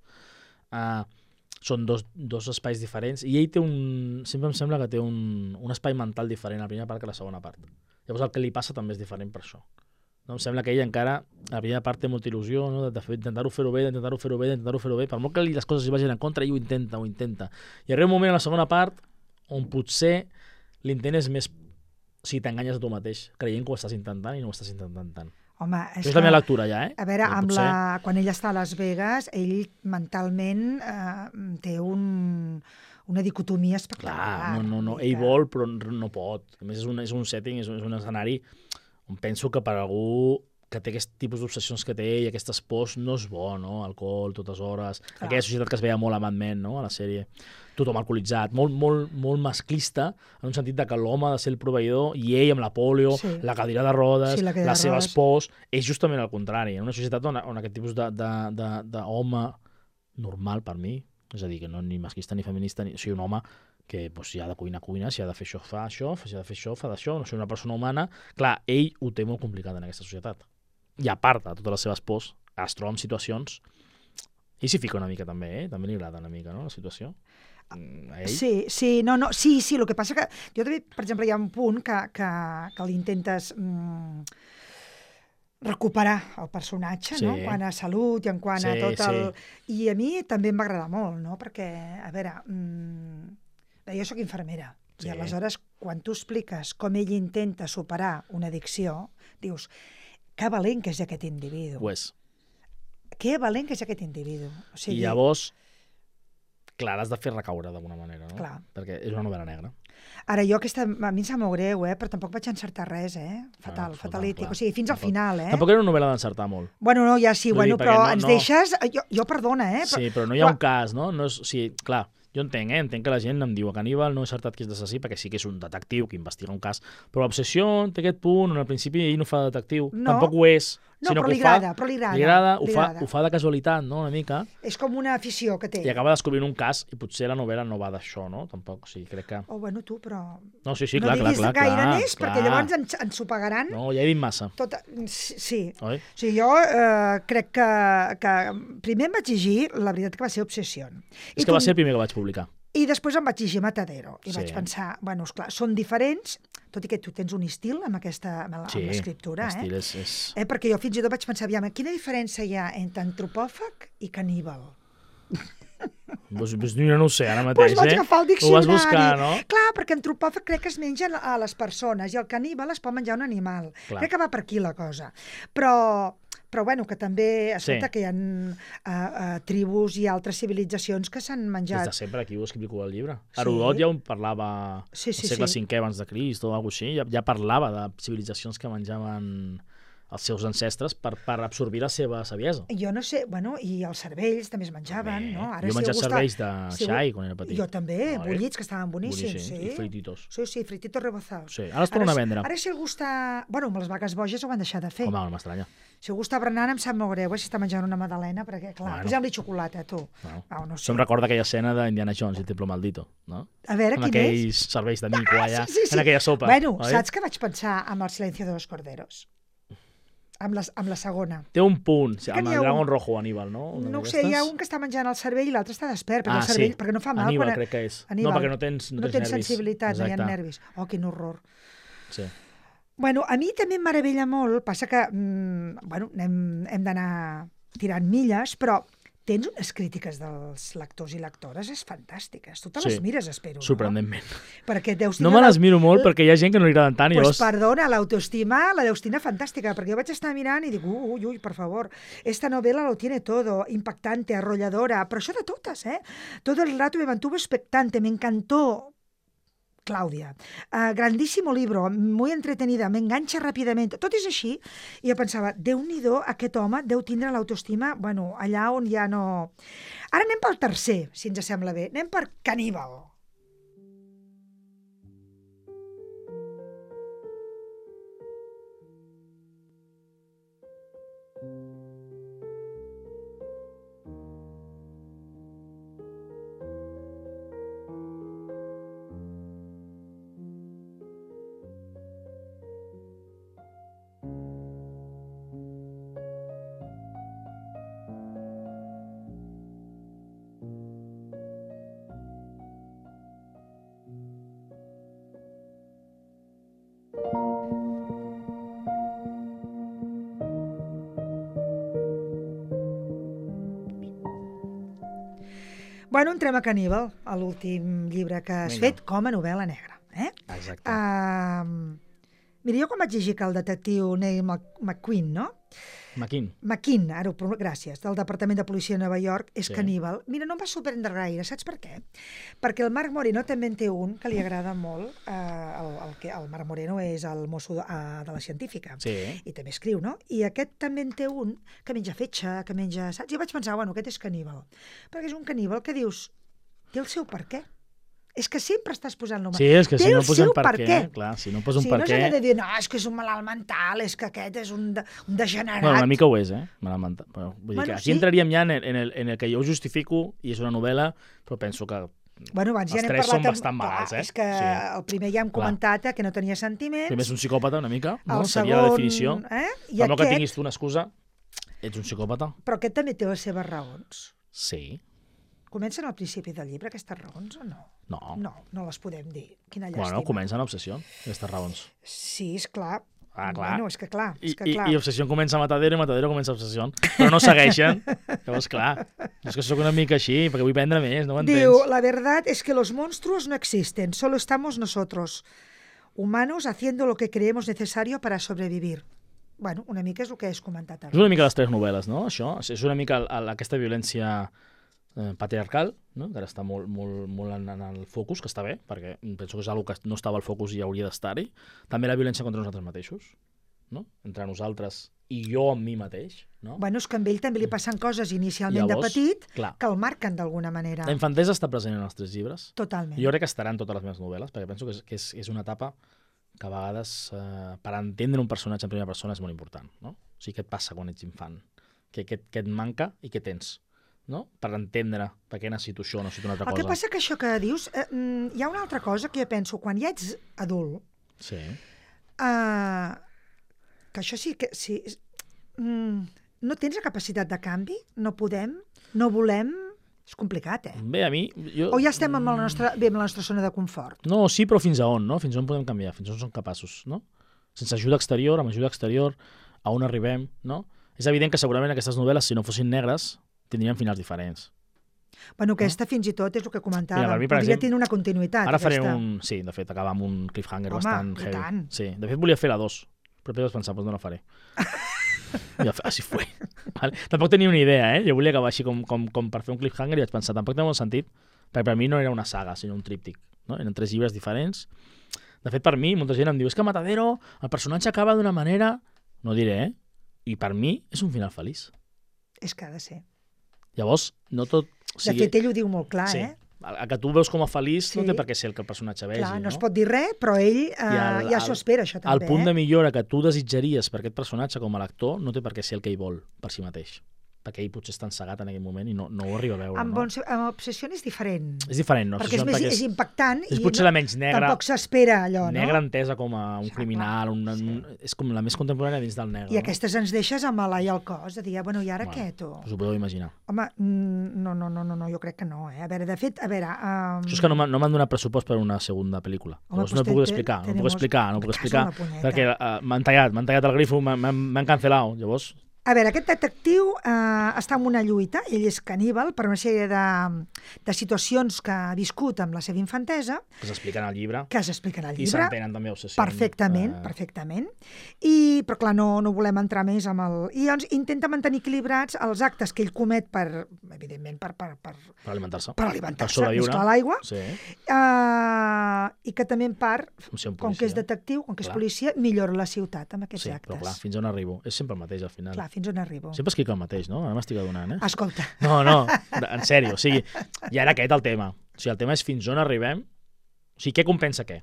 Són dos espais diferents i ell té sempre em sembla que té un espai mental diferent a la primera part que a la segona part. Llavors el que li passa també és diferent per això. No? Em sembla que ell encara, a la primera part té molta il·lusió, no? D'intentar-ho fer-ho bé, per molt que les coses li vagin en contra, ell ho intenta. I arriba un moment a la segona part on potser l'intent és més... O sigui, t'enganyes a tu mateix, creient que ho estàs intentant i no ho estàs intentant tant. Home, és la meva lectura ja, A veure, quan ell està a Las Vegas, ell mentalment té una dicotomia espectacular. Clar, no, ell vol però no pot. A més, és un setting, és un escenari on penso que per algú que té aquest tipus d'obsessions que té i aquestes pors no és bo, no? Alcohol, totes hores. Clar. Aquella societat que es veia molt a Mad Men, no? A la sèrie. Tothom alcoholitzat, molt masclista, en un sentit de que l'home ha de ser el proveïdor i ell amb la polio, la cadira de rodes, les seves pors, és justament el contrari. En una societat on aquest tipus d'home normal per mi, és a dir, que no ni masclista ni feminista, o sigui, un home que si ha de cuina, si ha de fer això, fa això, si ha de fer això, fa d'això, no sé, una persona humana, clar, ell ho té molt complicat en aquesta societat. I a part de totes les seves pors, es troba en situacions, i s'hi fica una mica també, també li agrada una mica, no?, la situació. Sí, el que passa que jo també, per exemple, hi ha un punt que l'intentes recuperar el personatge, no? Quant a salut i en quant a tot el... I a mi també em va agradar molt, no? Perquè, a veure, jo sóc infermera, i aleshores, quan tu expliques com ell intenta superar una addicció, dius, que valent que és aquest individu. Que valent que és aquest individu. I llavors, clar, l'has de fer recaure d'alguna manera, no? Clar. Perquè és una novel·la negra. Ara, jo aquesta, a mi em sap molt greu, però tampoc vaig encertar res, fatalític. O sigui, fins al final, Tampoc era una novel·la d'encertar molt. Bueno, no, ja sí, però ens deixes... Jo perdona, Sí, però no hi ha un cas, no? O sigui, clar, jo entenc que la gent em diu que Aníbal no he acertat qui és l'assassí, perquè sí que és un detectiu que investiga un cas, però l'obsessió té aquest punt on al principi ell no fa de detectiu, tampoc ho és, sinó que però li agrada. Ho fa de casualitat, no?, una mica. És com una afició que té. I acaba descobrint un cas, i potser la novel·la no va d'això, no?, tampoc, o sigui, crec que... Bueno, tu, però... No, sí, clar. No diguis gaire més, perquè llavors ens ho pagaran. No, ja he dit massa. Sí. Oi? O sigui, jo crec que primer em vaig llegir, la veritat que va ser Obsessió. És que va ser el primer que vaig publicar. I després em vaig llegir Matadero i vaig pensar, bueno, esclar, són diferents, tot i que tu tens un estil amb l'escriptura, és... perquè jo fins i tot vaig pensar, aviam, quina diferència hi ha entre antropòfag i caníbal? Pues no ho sé, ara mateix, vaig agafar el diccionari. Ho vas buscar, no? Clar, perquè antropòfag crec que es menja a les persones i el caníbal es pot menjar un animal. Crec que va per aquí la cosa. Però però bueno, que també, escolta, que hi ha tribus i altres civilitzacions que s'han menjat. Des de sempre, aquí ho explico al llibre. Herodot ja on parlava al segle V abans de Crist o alguna cosa així, ja parlava de civilitzacions que menjaven els seus ancestres per absorbir la seva saviesa. Jo no sé, bueno, i els cervells també es menjaven, no? Ara, jo he menjat cervells de xai quan era petit. Jo també, bullits, que estaven boníssims. I frititos. Sí, frititos rebozados. Sí, ara es tornen a vendre. Ara si algú està... Bueno, amb les vaques boges ho van deixar de fer. Home, no m'estranya. Si algú està berenant em sap molt greu, si està menjant una magdalena, perquè, clar, posem-li xocolata, tu. No sé. Això em recorda aquella escena d'Indiana Jones, el Templo Maldito, no? A veure, quin és? Amb aquells cervells de mico allà, en aquella sopa. Bueno, saps què vaig pensar amb El silencio de los corderos? Amb la segona. Té un punt, amb el Dragon Rojo, Aníbal, no? No ho sé, hi ha un que està menjant el cervell i l'altre està despert, perquè el cervell, perquè no fa mal. Aníbal, crec que és. Aníbal. No, perquè no tens nervis. Sensibilitat, no hi ha nervis. Oh, quin horror. Sí. Bueno, a mi també em meravella molt, passa que, bueno, hem d'anar tirant milles, però tens unes crítiques dels lectors i lectores fantàstiques. Tu te les mires, espero, sorprenentment. No? Perquè deus no me les miro molt perquè hi ha gent que no li agraden tant. Pues perdona, l'autoestima la deus tenir fantàstica, perquè jo vaig estar mirant i dic, uy, por favor, esta novela lo tiene todo, impactante, arrolladora, però això de totes, Todo el rato me mantuvo expectante, me encantó. Claudia, grandísimo libro, muy entretenida, m'enganxa ràpidament, tot és així, i jo pensava, Déu-n'hi-do, aquest home deu tindre l'autoestima, bueno, allà on ja no... Ara anem pel tercer, si ens sembla bé, anem per Caníbal. Bueno, entrem a Caníbal, a l'últim llibre que has fet com a novel·la negra. Exacte. Mira, jo quan vaig llegir que el detectiu Neil McQueen, no? McKean, gràcies, del Departament de Policia de Nova York, és caníbal. Mira, no em va sorprendre gaire, saps per què? Perquè el Marc Moreno també en té un que li agrada molt. El Marc Moreno és el mosso de la científica. I també escriu, no? I aquest també en té un que menja fetge, que menja... Saps? I vaig pensar, bueno, aquest és caníbal. Perquè és un caníbal que dius, té el seu per què. És que sempre estàs posant l'home. Sí, és que si no posen per què, clar, si no posen per què... Si no s'ha de dir, no, és que és un malalt mental, és que aquest és un degenerat... Bueno, una mica ho és, malalt mental. Vull dir que aquí entraríem ja en el que jo ho justifico, i és una novel·la, però penso que els tres són bastant malats, És que el primer ja hem comentat que no tenia sentiments... Primer és un psicòpata, una mica, seria la definició. Per molt que tinguis tu una excusa, ets un psicòpata. Però aquest també té les seves raons. Sí. Comencen al principi del llibre aquestes raons o no? No les podem dir. Quina llàstima. Bueno, comencen l'obsessió, aquestes raons. Sí, esclar. Clar. Bueno, és que clar. I Obsessió comença a Matadero i Matadero comença a Obsessió. Però no segueixen. Llavors, clar, és que sóc una mica així, perquè vull prendre més, no ho entens? Diu, la verdad es que los monstruos no existen, solo estamos nosotros, humanos, haciendo lo que creemos necesario para sobrevivir. Bueno, una mica és el que has comentat ara. És una mica les tres novel·les, no? Això és una mica aquesta violència patriarcal, no? Que ara està molt en el focus, que està bé, perquè penso que és una cosa que no estava al focus i hauria d'estar-hi. També la violència contra nosaltres mateixos, no? Entre nosaltres i jo amb mi mateix. No? Bueno, és que amb ell també li passen coses inicialment de petit que el marquen d'alguna manera. La infantesa està present en els tres llibres. Totalment. Jo crec que estarà en totes les meves novel·les, perquè penso que és una etapa que a vegades, per entendre un personatge en primera persona, és molt important. No? O sigui, què et passa quan ets infant? Què et manca i què tens? No? Per entendre per què necessito això o necessito una altra cosa. El que passa que això que dius, hi ha una altra cosa que jo penso, quan ja ets adult, que això sí que... no tens la capacitat de canvi, no podem, no volem... És complicat, Bé, a mi... O ja estem amb la nostra zona de confort? No, sí, però fins a on, no? Fins a on podem canviar, fins a on som capaços, no? Sense ajuda exterior, amb ajuda exterior, a on arribem, no? És evident que segurament aquestes novel·les, si no fossin negres, tindrien finals diferents. Bueno, aquesta fins i tot és el que comentàvem. Podria tenir una continuïtat. Ara faré un... Sí, de fet, acaba amb un cliffhanger bastant heavy. Sí, de fet volia fer la 2, però després vaig pensar, doncs no la faré. I així fue. Vale? Tampoc tenia una idea, Jo volia acabar així com per fer un cliffhanger i vaig pensar, tampoc té molt sentit, perquè per mi no era una saga, sinó un tríptic. No? Eren 3 llibres diferents. De fet, per mi, molta gent em diu, és que Matadero, el personatge acaba d'una manera... No diré, I per mi és un final feliç. És que ha de ser. Llavors, no tot... De fet, ell ho diu molt clar, El que tu veus com a feliç no té per què ser el que el personatge vegi. Clar, no es pot dir res, però ell ja s'ho espera, això també. El punt de millora que tu desitjaries per aquest personatge com a lector no té per què ser el que ell vol per si mateix. Perquè ell potser està encegat en aquell moment i no ho arriba a veure. Amb Obsession és diferent. És diferent, no? Perquè és impactant és potser la menys negra. Tampoc s'espera allò, no? Negra entesa com a un criminal, és com la més contemporània dins del negre. I aquestes ens deixes amb l'ai al cos, de dir, bueno, i ara què, tu? Us ho podeu imaginar. Home, no, jo crec que no, A veure, de fet, Això és que no m'han donat pressupost per una segona pel·lícula. Llavors no ho puc explicar, perquè m'han tallat el grifo, m'han cancel·lat, llavors... A veure, aquest detectiu està en una lluita, ell és caníbal per una sèrie de situacions que ha viscut amb la seva infantesa. Que s'expliquen al llibre. I s'entenen també obsessions. Perfectament. Però clar, no volem entrar més amb el... I llavors intenta mantenir equilibrats els actes que ell comet evidentment, per alimentar-se. Per alimentar-se, més clar l'aigua. Sí. I que també en part, com que és detectiu, com que és policia, millora la ciutat amb aquests actes. Sí, però clar, fins on arribo? És sempre el mateix al final. Clar, fins on arribo. Sempre escric el mateix, no? Ara m'estic adonant, Escolta. No, en sèrio, o sigui, ja era aquest el tema. O sigui, el tema és fins on arribem, o sigui, què compensa què?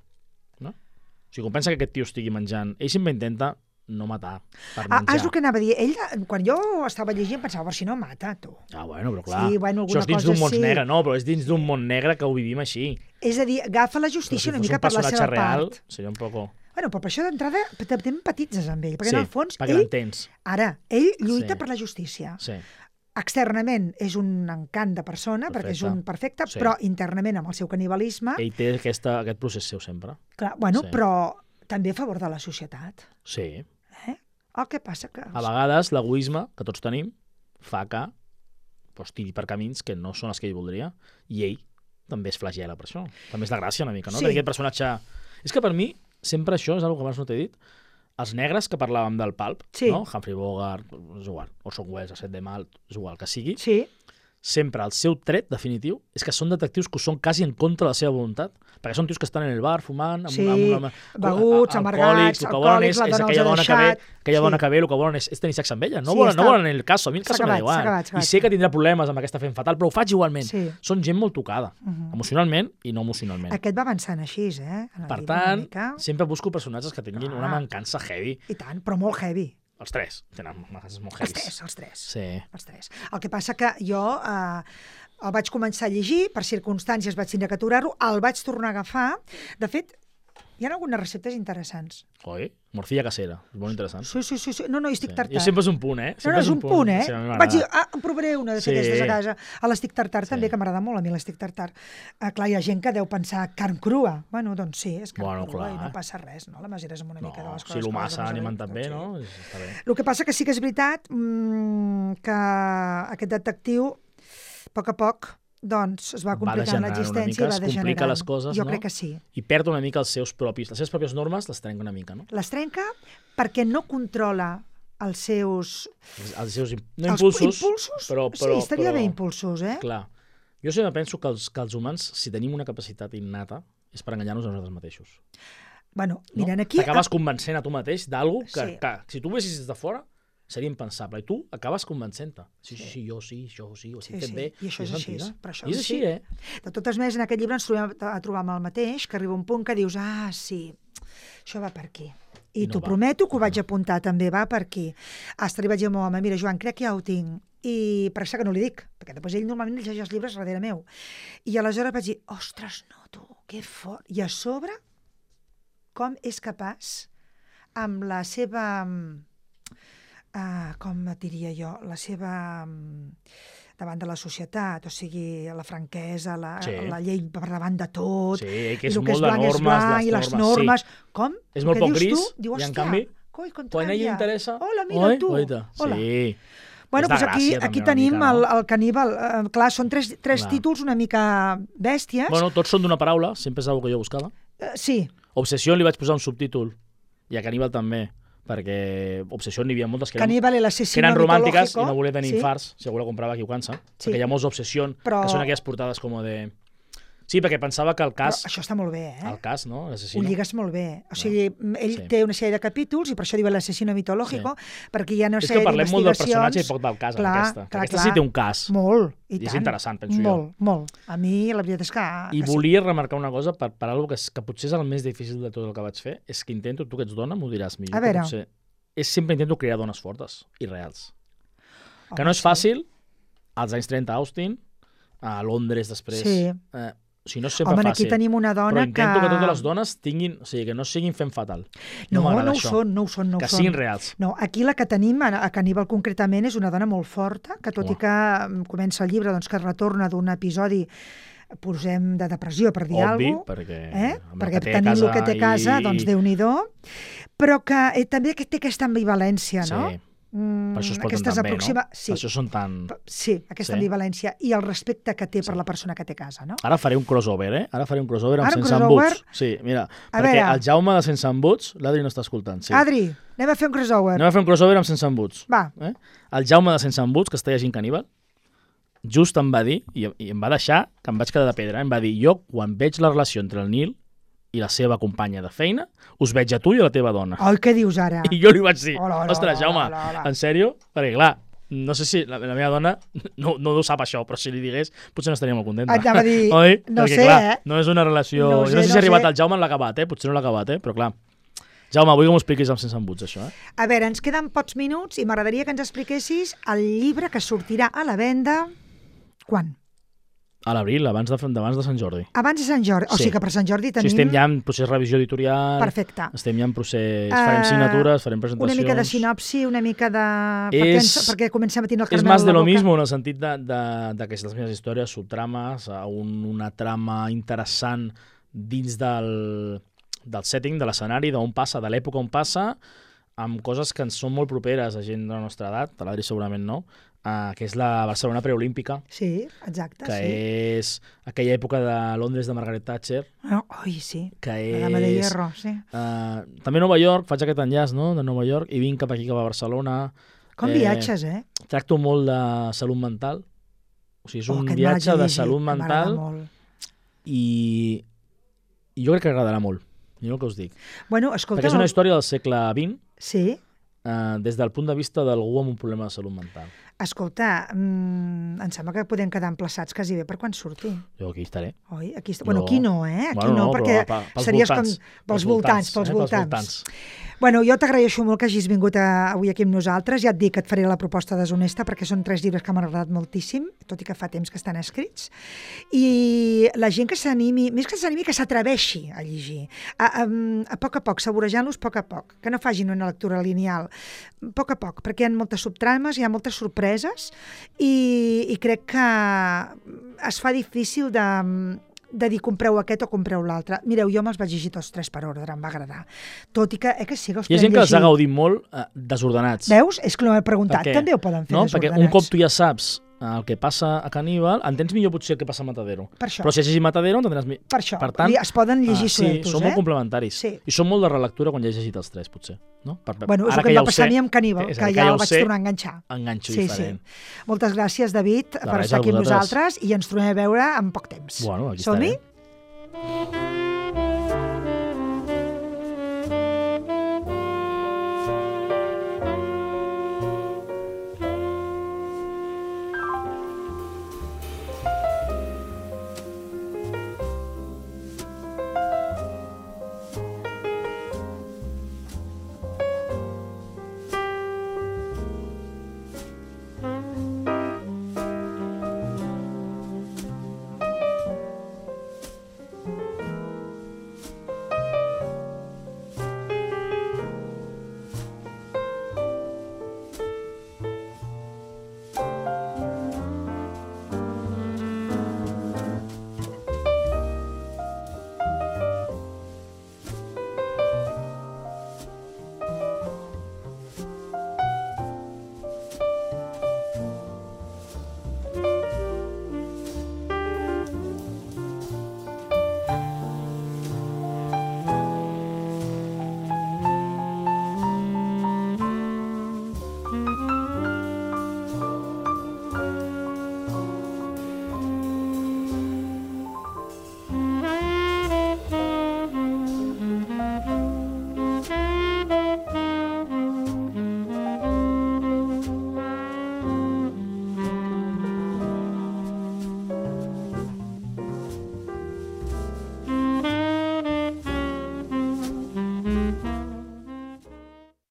No? O sigui, compensa que aquest tio estigui menjant. Ell sempre intenta no matar per menjar. És el que anava a dir. Ell, quan jo estava llegint, pensava, si no mata, tu. Bueno, però clar, sí, bueno, això és dins d'un món negre, no, però és dins d'un món negre que ho vivim així. És a dir, agafa la justícia una mica per la seva real, part. Seria un poco... Bueno, però per això d'entrada també empatitzes amb ell, perquè en el fons perquè l'entens. Ara, ell lluita per la justícia. Sí. Externament és un encant de persona, perquè és un perfecte, però internament amb el seu canibalisme... Ell té aquest procés seu sempre. Clar, bueno, però també a favor de la societat. Sí. El que passa que... A vegades l'egoisme que tots tenim fa que tiri per camins que no són els que ell voldria, i ell també es flagela per això. També és de gràcia una mica, no? Sí. Aquest personatge... És que per mi sempre això és una cosa que abans no t'he dit. Els negres que parlàvem del pulp, no? Humphrey Bogart, és igual, Orson Welles, Set de Mal, és igual que sigui, sempre el seu tret definitiu és que són detectius que són quasi en contra de la seva voluntat, perquè són tios que estan en el bar fumant, beguts, amargats, alcohòlics, la dona els ha deixat... Aquella dona que ve, el que volen és tenir sexe amb ella. No volen el cas, a mi el cas m'ha igual. I sé que tindrà problemes amb aquesta fent fatal, però ho faig igualment. Són gent molt tocada, emocionalment i no emocionalment. Aquest va avançant així, Per tant, sempre busco personatges que tinguin una mancança heavy. I tant, però molt heavy. Els 3 tenen mancances molt heavies. Els 3. Sí. Els 3. El que passa que jo el vaig començar a llegir, per circumstàncies vaig tindre que aturar-ho, el vaig tornar a agafar. De fet, hi ha algunes receptes interessants. Oi? Morcilla casera, és molt interessant. Sí. No, estic tartar. Jo sempre és un punt, No, és un punt, Sí, vaig dir, em provaré una d'aquestes a casa. A l'estic tartar també, que m'agrada molt a mi l'estic tartar. Clar, hi ha gent que deu pensar carn crua. Bueno, doncs sí, és carn crua i no passa res, no? La mesura és amb una mica de les coses. Si l'humassa animen també, no? Està bé. El que passa que sí que és veritat que aquest detectiu, a poc, doncs es va complicant l'existència i va degenerant. Les coses, jo crec que sí. I perd una mica les seves pròpies normes, les trenca una mica, no? Les trenca perquè no controla els seus impulsos, però sí, estaria bé impulsos, Clar. Jo sempre penso que els humans, si tenim una capacitat innata, és per enganyar-nos a nosaltres mateixos. Bueno, mirant aquí... T'acabes convencent a tu mateix d'algú que si tu ho vessis des de fora seria impensable. I tu acabes convencent-te. Sí, jo ho estic fent bé. I això és així. I és així, De totes maneres, en aquest llibre ens trobem a trobar amb el mateix, que arriba un punt que dius, sí, això va per aquí. I t'ho prometo que ho vaig apuntar també, va per aquí. Hasta li vaig dir al meu home, mira, Joan, crec que ja ho tinc. I per això que no li dic, perquè després ell normalment llegeix els llibres darrere meu. I aleshores vaig dir, ostres, no, tu, que fort. I a sobre, com és capaç, amb la seva... com diria jo, la seva davant de la societat, o sigui, la franquesa, la llei per davant de tot, que és molt de normes, i les normes. Com? És molt poc gris, i en canvi, quan a ella interessa... Hola, mira, tu. Hola. Bueno, doncs aquí tenim el caníbal. Clar, són tres títols una mica bèsties. Bueno, tots són d'una paraula, sempre és una que jo buscava. Sí. Obsessió li vaig posar un subtítol, i a caníbal també, perquè Obsessió n'hi havia moltes que eren romàntiques i no volia tenir infarts, si algú la comprava equivocança, perquè hi ha molts Obsessió que són aquelles portades com de... Sí, perquè pensava que el cas... Però això està molt bé, El cas, no? Ho lligues molt bé. O sigui, ell té una sèrie de capítols, i per això diu l'assassino mitològico, perquè hi ha una sèrie d'investigacions... És que parlem molt del personatge i poc del cas, en aquesta. Aquesta sí té un cas. Molt, i tant. I és interessant, penso jo. Molt. A mi, la veritat és que... I volia remarcar una cosa, per alguna cosa que potser és el més difícil de tot el que vaig fer, és que intento, tu que ets dona, m'ho diràs millor. A veure. Sempre intento crear dones fortes i reals. Que no és fàcil, als anys 30 a Austin, a Londres després... Si no és sempre fàcil. Aquí tenim una dona que... Però intento que totes les dones tinguin... O sigui, que no siguin fent fatal. No ho són. Que siguin reals. No, aquí la que tenim, a Caníbal concretament, és una dona molt forta, que tot i que comença el llibre, doncs que retorna d'un episodi, posem de depressió, per dir alguna cosa. Perquè tenim el que té a casa, doncs Déu-n'hi-do. Però que també té aquesta ambivalència, no? Per això es porten tan bé, no? Per això són tan... Sí, aquesta ambivalència i el respecte que té per la persona que té a casa, no? Ara faré un crossover, Ara faré un crossover amb Sense Embuts. Sí, mira, perquè el Jaume de Sense Embuts, l'Adri no està escoltant. Adri, anem a fer un crossover. Anem a fer un crossover amb Sense Embuts. Va. El Jaume de Sense Embuts, que està llegint Caníbal, just em va dir, i em va deixar que em vaig quedar de pedra, em va dir, jo quan veig la relació entre el Nil i la seva companya de feina, us veig a tu i a la teva dona. Ai, què dius ara? I jo li vaig dir, ostres, Jaume, en sèrio? Perquè clar, no sé si la meva dona no ho sap això, però si li digués potser no estaria molt contenta. Anava a dir, oi? No perquè, sé, clar, no és una relació... No sé si ha arribat el Jaume en l'ha acabat, potser no l'ha acabat, però clar. Jaume, vull que m'ho expliquis amb Sense Embuts, això. A veure, ens queden pocs minuts i m'agradaria que ens expliquessis el llibre que sortirà a la venda... Quan? A l'abril, abans de Sant Jordi. Abans de Sant Jordi, o sigui que per Sant Jordi tenim... Sí, estem ja en procés de revisió editorial. Perfecte. Estem ja en procés... Farem signatures, farem presentacions... Una mica de sinopsi, una mica de... Perquè comencem a tenir el caramel a la boca. És más de lo mismo, en el sentit d'aquestes meves històries, subtrames, una trama interessant dins del setting, de l'escenari, d'on passa, de l'època on passa, amb coses que ens són molt properes a gent de la nostra edat, a l'Adri segurament no, que és la Barcelona preolímpica. Sí, exacte. Que és aquella època de Londres de Margaret Thatcher. Sí, que la dama de hierro, sí. També Nova York, faig aquest enllaç, no?, de Nova York, i vinc cap aquí, cap a Barcelona. Com viatges, Tracto molt de salut mental. O sigui, és un viatge de salut mental i jo crec que agradarà molt. Jo el que us dic. Bueno, escolta... Perquè és una història del segle XX. Sí. Des del punt de vista d'algú amb un problema de salut mental. Escolta, em sembla que podem quedar emplaçats quasi bé per quan surti. Jo aquí estaré. Oi? Bueno, aquí no, Aquí no, perquè series com pels voltants. Bueno, jo t'agraeixo molt que hagis vingut avui aquí amb nosaltres. Ja et dic que et faré la proposta deshonesta perquè són 3 llibres que m'han agradat moltíssim, tot i que fa temps que estan escrits. I la gent que s'animi, més que s'animi, que s'atreveixi a llegir. A poc, saborejant-los a poc, que no facin una lectura lineal. A poc, perquè hi ha moltes subtrames, hi ha moltes sorpreses i crec que es fa difícil de dir compreu aquest o compreu l'altre. Mireu, jo me'ls vaig llegir tots 3 per ordre, em va agradar. Tot i que sí que els hi ha gent que els ha gaudit molt desordenats. Veus? És que no m'he preguntat. També ho poden fer desordenats. Perquè un cop tu ja saps el que passa a Caníbal, entens millor potser el que passa a Matadero. Però si has llegit Matadero, entendràs millor. Per això, es poden llegir sueltos, són molt complementaris. I són molt de relectura quan ja has llegit els 3, potser. Bueno, és el que em va passar a mi amb Caníbal, que ja el vaig tornar a enganxar. Enganxo diferent. Moltes gràcies, David, per estar aquí amb nosaltres i ens tornem a veure en poc temps. Bueno, aquí estarem. Som-hi?